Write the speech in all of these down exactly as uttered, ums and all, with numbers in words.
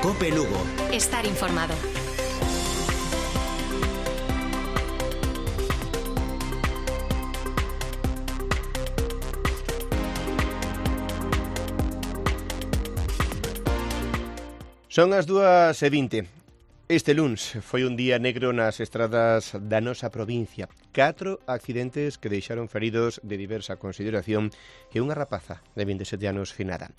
COPE Lugo. Estar informado. Son as dúas e vinte. Este luns foi un día negro nas estradas da nosa provincia. Catro accidentes que deixaron feridos de diversa consideración e unha rapaza de vinte e sete anos finada.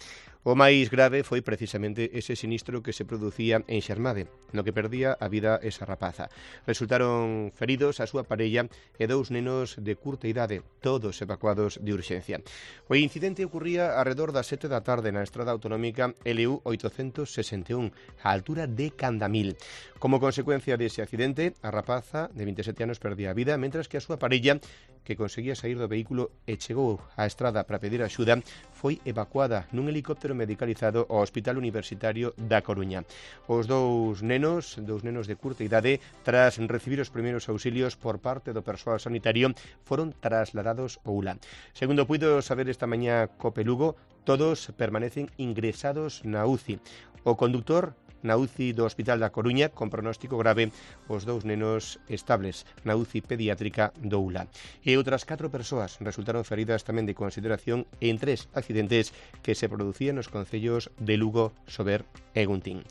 O máis grave foi precisamente ese sinistro que se producía en Xermade, no que perdía a vida esa rapaza. Resultaron feridos a súa parella e dous nenos de curta idade, todos evacuados de urxencia. O incidente ocurría arredor das sete da tarde na estrada autonómica L U oitocentos sesenta e un, á altura de Candamil. Como consecuencia dese accidente, a rapaza de vinte e sete anos perdía a vida, mentras que a súa parella, que conseguía sair do vehículo e chegou á estrada para pedir axuda, foi evacuada nun helicóptero medicalizado ao Hospital Universitario da Coruña. Os dous nenos, dous nenos de curta idade, tras recibir os primeiros auxilios por parte do persoal sanitario, foron trasladados ao U L A. Segundo puido saber esta mañá COPE Lugo, todos permanecen ingresados na U C I. O conductor na U C I do Hospital da Coruña con pronóstico grave, os dous nenos estables na U C I pediátrica do U L A. E outras catro persoas resultaron feridas tamén de consideración en tres accidentes que se producían nos concellos de Lugo, Sober e Guntín.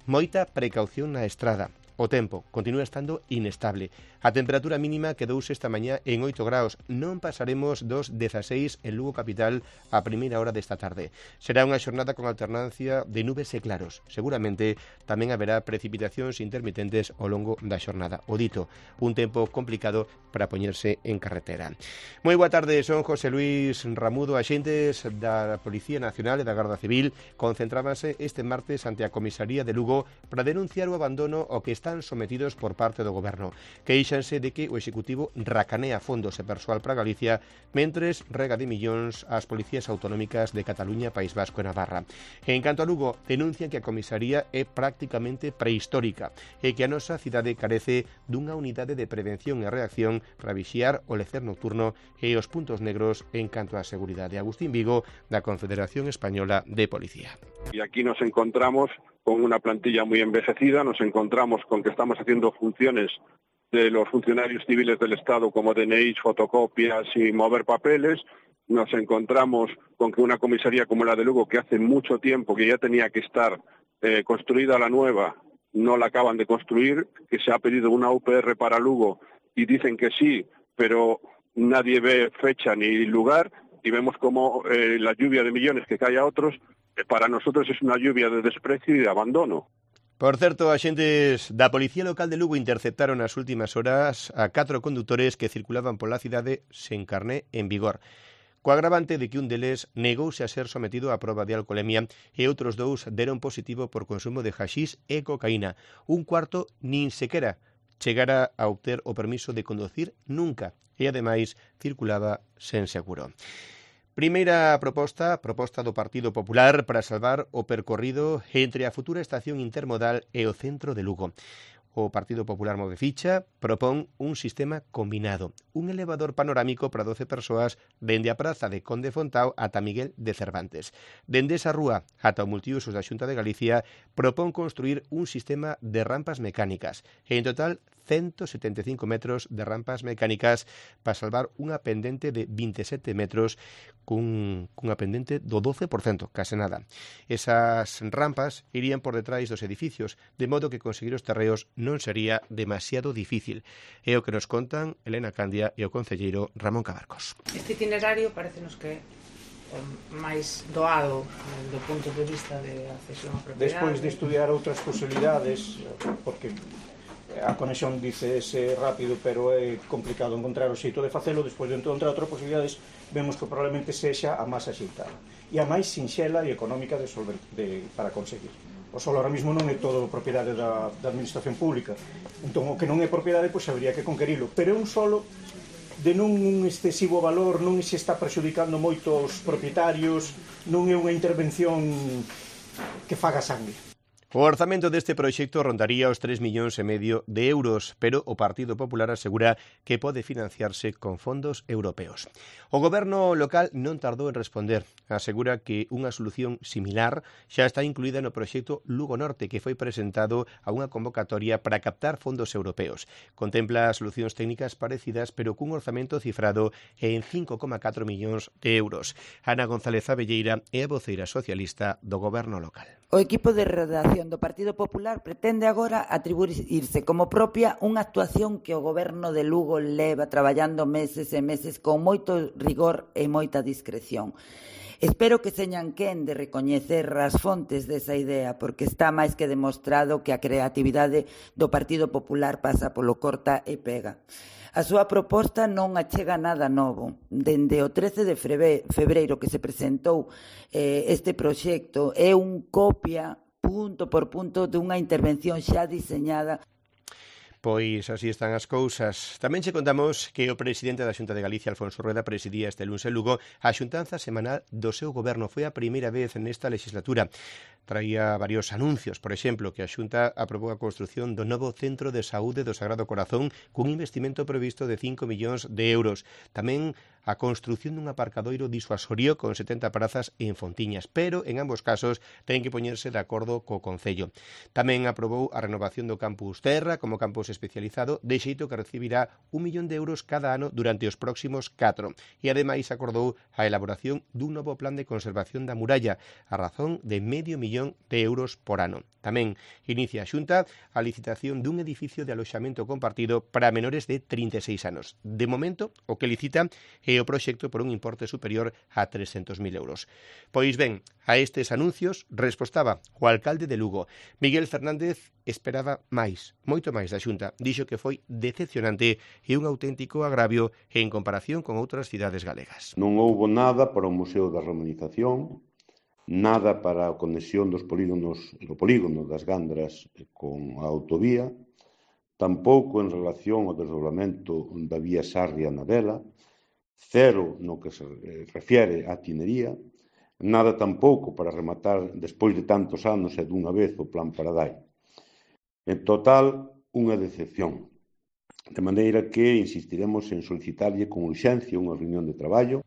Moita precaución na estrada. O tempo continúa estando inestable. A temperatura mínima quedouse esta mañá en oito graus. Non pasaremos dos dezaseis en Lugo capital a primeira hora desta tarde. Será unha xornada con alternancia de nubes e claros. Seguramente tamén haberá precipitacións intermitentes ao longo da xornada. O dito, un tempo complicado para poñerse en carretera. Moi boa tarde, son José Luis Ramudo. Axentes da Policía Nacional e da Garda Civil concentrábanse este martes ante a comisaría de Lugo para denunciar o abandono ao que están sometidos por parte do Goberno. Queixanse de que o Executivo racanea fondos e persoal para Galicia mentres rega de millóns ás policías autonómicas de Cataluña, País Vasco e Navarra. En canto a Lugo, denuncian que a comisaría é prácticamente prehistórica e que a nosa cidade carece dunha unidade de prevención e reacción para vixiar o lecer nocturno e os puntos negros en canto á seguridade. Agustín Vigo, da Confederación Española de Policía. Y aquí nos encontramos con una plantilla muy envejecida, nos encontramos con que estamos haciendo funciones de los funcionarios civiles del Estado como D N Is, fotocopias y mover papeles. Nos encontramos con que una comisaría como la de Lugo, que hace mucho tiempo que ya tenía que estar eh, construida la nueva, no la acaban de construir, que se ha pedido una U P R para Lugo y dicen que sí, pero nadie ve fecha ni lugar y vemos como eh, la lluvia de millones que cae a otros, eh, para nosotros es una lluvia de desprecio y de abandono. Por certo, axentes da Policía Local de Lugo interceptaron nas últimas horas a catro condutores que circulaban pola cidade sen carné en vigor, co agravante de que un deles negouse a ser sometido á proba de alcolemia e outros dous deron positivo por consumo de haxís e cocaína. Un cuarto nin sequera chegara a obter o permiso de conducir nunca e, ademais, circulaba sen seguro. Primeira proposta, proposta do Partido Popular para salvar o percorrido entre a futura estación intermodal e o centro de Lugo. O Partido Popular move ficha, propón un sistema combinado, un elevador panorámico para doce persoas dende a praza de Conde Fontao ata Miguel de Cervantes. Dende esa rúa ata o multiusos da Xunta de Galicia propón construir un sistema de rampas mecánicas e, en total, ciento setenta e cinco metros de rampas mecánicas para salvar unha pendente de vinte e sete metros cun, cunha pendente do doce por cento, case nada. Esas rampas irían por detrás dos edificios, de modo que conseguir os terreos non sería demasiado difícil. É o que nos contan Elena Candia e o concelleiro Ramón Cabarcos. Este itinerario parecenos que o máis doado do punto de vista de accesión a propiedade. Despois de estudiar outras posibilidades, porque a conexión dice ese rápido, pero é complicado encontrar o xeito de facelo. Despois de encontrar outras posibilidades, vemos que probablemente sexa a máis axeitada e a máis sinxela e económica de solver, de, para conseguir. O solo ahora mismo non é todo propiedade da, da administración pública, entón o que non é propiedade, pois habería que conquerilo, pero é un solo de non un excesivo valor, non se está prexudicando moito aos propietarios, non é unha intervención que faga sangue. O orzamento deste proxecto rondaría os tres millóns e medio de euros, pero o Partido Popular asegura que pode financiarse con fondos europeos. O goberno local non tardou en responder. Asegura que unha solución similar xa está incluída no proxecto Lugo Norte, que foi presentado a unha convocatoria para captar fondos europeos. Contempla solucións técnicas parecidas, pero cun orzamento cifrado en cinco coma catro millóns de euros. Ana González Abelleira é a voceira socialista do goberno local. O equipo de redacción do Partido Popular pretende agora atribuirse como propia unha actuación que o goberno de Lugo leva traballando meses e meses con moito rigor e moita discreción. Espero que señan quen de recoñecer as fontes desa idea, porque está máis que demostrado que a creatividade do Partido Popular pasa polo corta e pega. A súa proposta non achega nada novo. Dende o trece de febreiro que se presentou eh, este proxecto, é un copia punto por punto dunha intervención xa diseñada. Pois así están as cousas. Tamén che contamos que o presidente da Xunta de Galicia, Alfonso Rueda, presidía este luns en Lugo a xuntanza semanal do seu goberno. Foi a primeira vez nesta legislatura. Traía varios anuncios, por exemplo, que a Xunta aprobou a construción do novo Centro de Saúde do Sagrado Corazón cun investimento previsto de cinco millóns de euros. Tamén a construción dun aparcadoiro disuasorio con setenta prazas en Fontiñas, pero en ambos casos ten que poñerse de acordo co Concello. Tamén aprobou a renovación do Campus Terra como campus especializado, de xeito que recibirá un millón de euros cada ano durante os próximos catro. E ademais acordou a elaboración dun novo plan de conservación da muralla, a razón de medio millón de euros por ano. Tamén inicia a Xunta a licitación dun edificio de aloxamento compartido para menores de trinta e seis anos. De momento, o que licita é o proxecto por un importe superior a trescentos mil euros. Pois ben, a estes anuncios respostaba o alcalde de Lugo. Miguel Fernández esperaba máis, moito máis da Xunta. Dixo que foi decepcionante e un auténtico agravio en comparación con outras cidades galegas. Non houbo nada para o Museo da Romanización, nada para a conexión dos polígonos, do polígono das Gandras con a autovía, tampouco en relación ao desdobramento da vía Sarria na Vela, cero no que se refiere á tinería, nada tampouco para rematar despois de tantos anos e dunha vez o Plan Paradai. En total, unha decepción. De maneira que insistiremos en solicitarlle con urxencia unha reunión de traballo.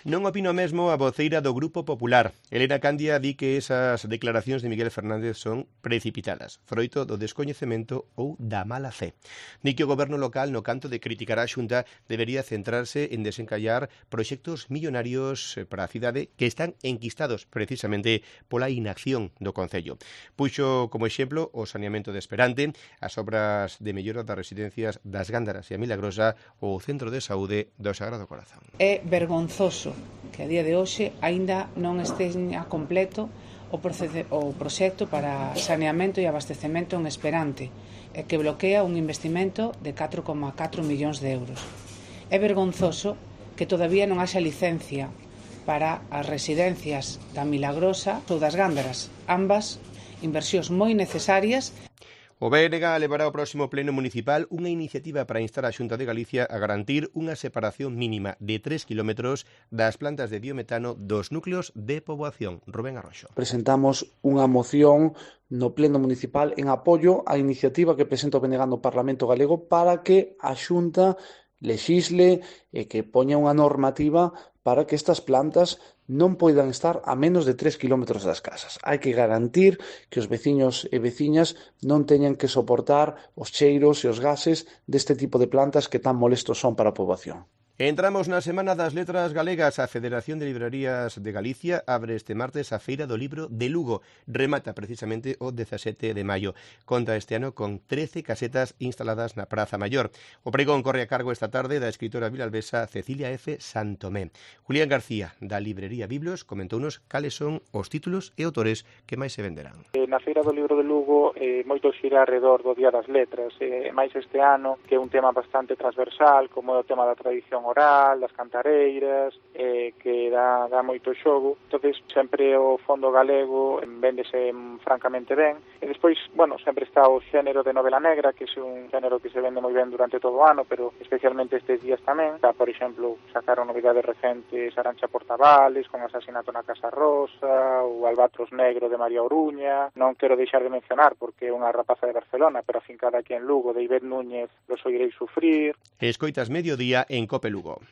Non opino mesmo a voceira do Grupo Popular. Elena Candia di que esas declaracións de Miguel Fernández son precipitadas, froito do descoñecemento ou da mala fe. Di que o goberno local, no canto de criticar a Xunta, debería centrarse en desencallar proxectos millonarios para a cidade que están enquistados precisamente pola inacción do Concello. Puxo como exemplo o saneamento de Esperante, as obras de mellora das residencias das Gándaras e a Milagrosa ou o Centro de Saúde do Sagrado Corazón. É vergonzoso que a día de hoxe aínda non esteña completo o, o proxecto para saneamento e abastecemento en Esperante e que bloquea un investimento de catro coma catro millóns de euros. É vergonzoso que todavía non haxa licencia para as residencias da Milagrosa ou das Gándaras, ambas inversións moi necesarias. O B N G levará ao próximo pleno municipal unha iniciativa para instar a Xunta de Galicia a garantir unha separación mínima de tres kilómetros das plantas de biometano dos núcleos de poboación. Rubén Arroxo. Presentamos unha moción no pleno municipal en apoio á iniciativa que presenta o B N G no Parlamento Galego para que a Xunta lexisle e que poña unha normativa para que estas plantas non poidan estar a menos de tres kilómetros das casas. Hai que garantir que os veciños e veciñas non teñan que soportar os cheiros e os gases deste tipo de plantas que tan molestos son para a poboación. Entramos na Semana das Letras Galegas. A Federación de Librarías de Galicia abre este martes a Feira do Libro de Lugo. Remata precisamente o dezasete de maio. Conta este ano con trece casetas instaladas na Praza Maior. O pregón corre a cargo esta tarde da escritora vilalbesa Cecilia F. Santomé. Julián García, da Librería Biblos, comentounos cales son os títulos e autores que máis se venderán. Na Feira do Libro de Lugo eh, moito xira alrededor do Día das Letras, e eh, máis este ano, que é un tema bastante transversal, como é o tema da tradición moral, das cantareiras, eh, que dá, dá moito xogo. Entonces, sempre o fondo galego véndese francamente ben. E despois, bueno, sempre está o xénero de novela negra, que é un xénero que se vende moi ben durante todo o ano, pero especialmente estes días tamén. Está, por exemplo, sacaron novidades recentes Arancha Portavales, con Asasinato na Casa Rosa, o Albatros Negro de María Oruña. Non quero deixar de mencionar, porque é unha rapaza de Barcelona, pero afincada aquí en Lugo, de Ivette Núñez, Los oiréis sufrir. Escoitas Mediodía en Cope Lugo.